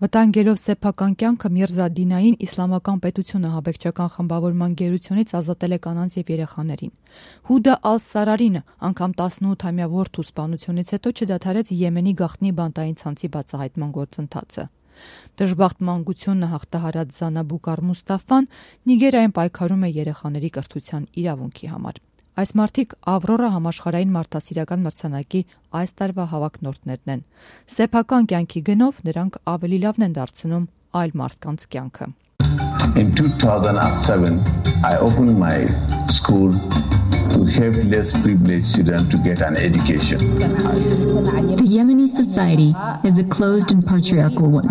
Վտանգելով սեփական կյանքը Միրզա Դինային իսլամական պետությունը ահաբեկչական խմբավորման գերությունից ազատել է կանանց եւ երեխաներին։ Հուդա Ալ-Սարարին անգամ 18-ամյա որդու սպանությունից հետո չդադարեց Եմենի գաղտնի բանտային ցանցի բացահայտման գործընթացը։ Դժբախտ մանկությունը հաղթահարած Զանա Բուկար Մուստաֆան Նիգերիայում պայքարում է երեխաների կրթության իրավունքի համար։ Այս մարդիկ Ավրորա համաշխարհային մարդասիրական մրցանակի այս տարվա հավակնորդներն են։ Սեփական կյանքի գնով նրանք ավելի լավն են դարձնում այլ մարդկանց կյանքը։ In 2007, I opened my school to help less privileged children to get an education. The Yemeni society is a closed and patriarchal one,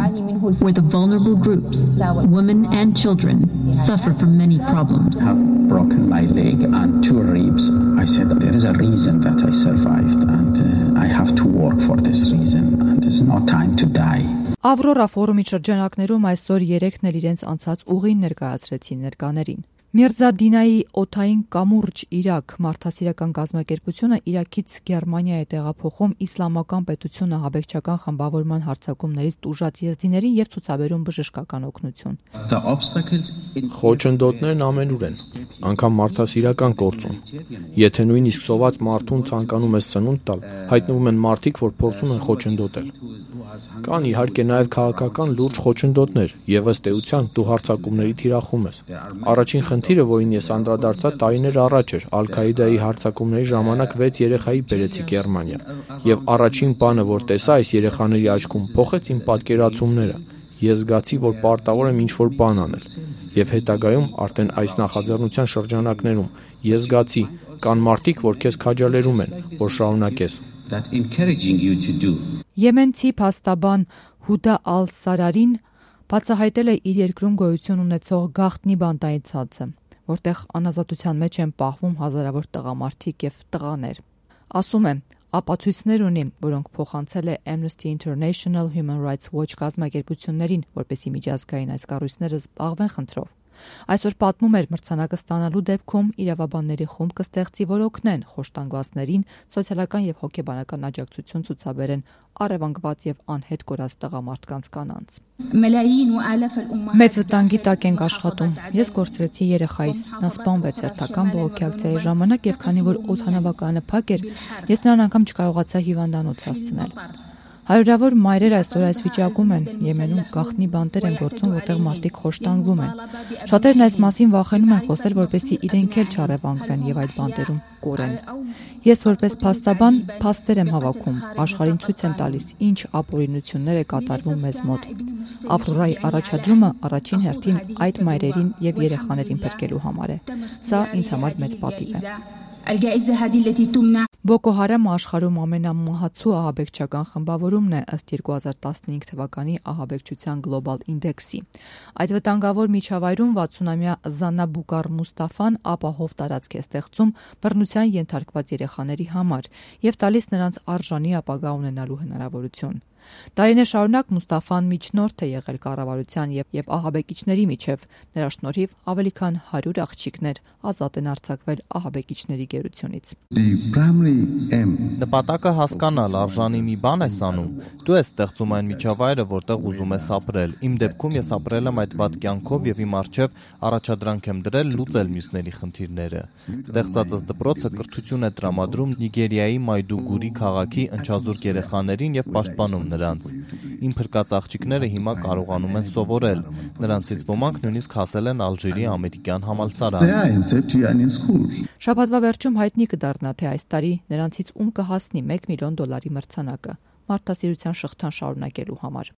where the vulnerable groups, women and children, suffer from many problems. I have broken my leg and 2 ribs. I said there is a reason that I survived and I have to work for this reason and there's no time to die. Ավրորա ֆորումի շրջանակներում այսօր 3-ն էլ իրենց անցած ուղին ներկայացրեցին ներկաներին։ Միրզա Դինայի օթային կամուրջ Իրաք մարդասիրական կազմակերպությունը Իրաքից Գերմանիա է տեղափոխում իսլամական պետությունը ահաբեկչական խմբավորման հարձակումներից տուժած եզդիներին եւ ցուցաբերում բժշկական օգնություն։ Խոչընդոտներն ամենուր են, անգամ մարդասիրական կորցում։ Եթե նույնիսկ սոված մարդուն ցանկանում ես սնունդ տալ, հայտնվում են մարդիկ, որ փորձում են խոչընդոտել։ Կան իհարկե նաև քաղաքական լուրջ խոչընդոտներ եւ ըստ էության դու հարձակումների թիրախում ես։ Առաջին խնդիրը, որին ես անդրադարձա տարիներ առաջ էր, Ալ-Քաիդայի հարձակումների ժամանակ 6 երեխայի բերեցի Գերմանիա, եւ առաջին բանը, որ տեսա այս երեխաների աչքում, փոխեց իմ պատկերացումները։ Ես զգացի, որ պարտավոր եմ ինչ-որ բան անել, եւ հետագայում արդեն այս նախաձեռնության շրջանակներում ես զգացի, կան մարդիկ, որ քեզ քաջալերում են, որ շարունակես։ Եմենցի փաստաբան Հուդա Ալ-Սարարին բացահայտել է իր երկրում գոյություն ունեցող գաղտնի բանտային ցանցը, որտեղ անազատության մեջ են պահվում հազարավոր տղամարդիկ եւ տղաներ։ Ասում է, ապացույցներ ունի, որոնք փոխանցել է Amnesty International, Human Rights Watch կազմակերպություններին, որպեսզի միջազգային այս կառույցները զբաղվեն խնդրով։ Այսօր պատմում էր մրցանակը ստանալու դեպքում իրավաբանների խումբ կստեղծի, որ օգնեն խոշտանգվածներին սոցիալական եւ հոգեբանական աջակցություն ցուցաբերեն առևանգված եւ անհետ կորած տղամարդկանց կանանց։ Մեծ վտանգի տակ ենք աշխատում։ Ես կորցրեցի երեխայիս։ Նա սպանվեց հերթական բողոքի ակցիայի ժամանակ եւ քանի որ օդանավակայանը փակ էր, ես նրան անգամ չկարողացա հիվանդանոց հասցնել։ Հարյուրավոր մայրեր այսօր այս վիճակում են, Եմենում գաղտնի բանտեր են գործում, որտեղ մարդիկ խոշտանգվում են։ Շատերն այս մասին վախենում են խոսել, որպեսզի իրենք էլ չառևանգվեն եւ այդ բանտերում կորեն։ Ես որպես փաստաբան փաստեր եմ հավաքում, աշխարհին ցույց եմ տալիս, ինչ ապօրինություններ է կատարվում մեզ մոտ։ Ավրորայի առաջադրումը առաջին հերթին այդ մայրերին եւ երեխաներին փրկելու համար է։ Սա ինձ համար մեծ պատիվ է։ Բոկո Հարամը աշխարհում ամենամահացու ահաբեկչական խմբավորումն է ըստ 2015 թվականի ահաբեկչության գլոբալ ինդեքսի։ Այդ վտանգավոր միջավայրում 60-ամյա Զանա Բուկար Մուստաֆան ապահով տարածք է ստեղծում բռնության ենթարկված երեխաների համար եւ տալիս նրանց արժանի ապագա ունենալու հնարավորություն։ Տարիներ շարունակ Մուստաֆան միջնորդ է եղել կառավարության եւ ահաբեկիչների միջև, նրա շնորհիվ ավելի քան 100 աղջիկներ ազատ են արձակվել ահաբեկիչների գերությունից։ Նպատակը հասկանալ, արժանի մի բան ես անում, դու ես ստեղծում այն միջավայրը, որտեղ ուզում ես ապրել։ Իմ դեպքում ես ապրել եմ այդ վատ կյանքով եւ իմ առջեւ առաջադրանք եմ դրել լուծել մյուսների խնդիրները։ Ստեղծածս դպրոցը կրթություն է տրամադրում Նիգերիայի Մայդուգուրի քաղաքի ընչազուրկ երեխաներին եւ պաշտպանում նրանց։ Իմ փրկած աղջիկները հիմա կարողանում են սովորել։ Նրանցից ոմանք նույնիսկ հասել են Ալժիրի ամերիկյան համալսարան։ Շաբաթվա վերջում հայտնի կդառնա, թե այս տարի նրանցից ում կհասնի $1 միլիոն մրցանակը մարդասիրության շղթան շարունակելու համար։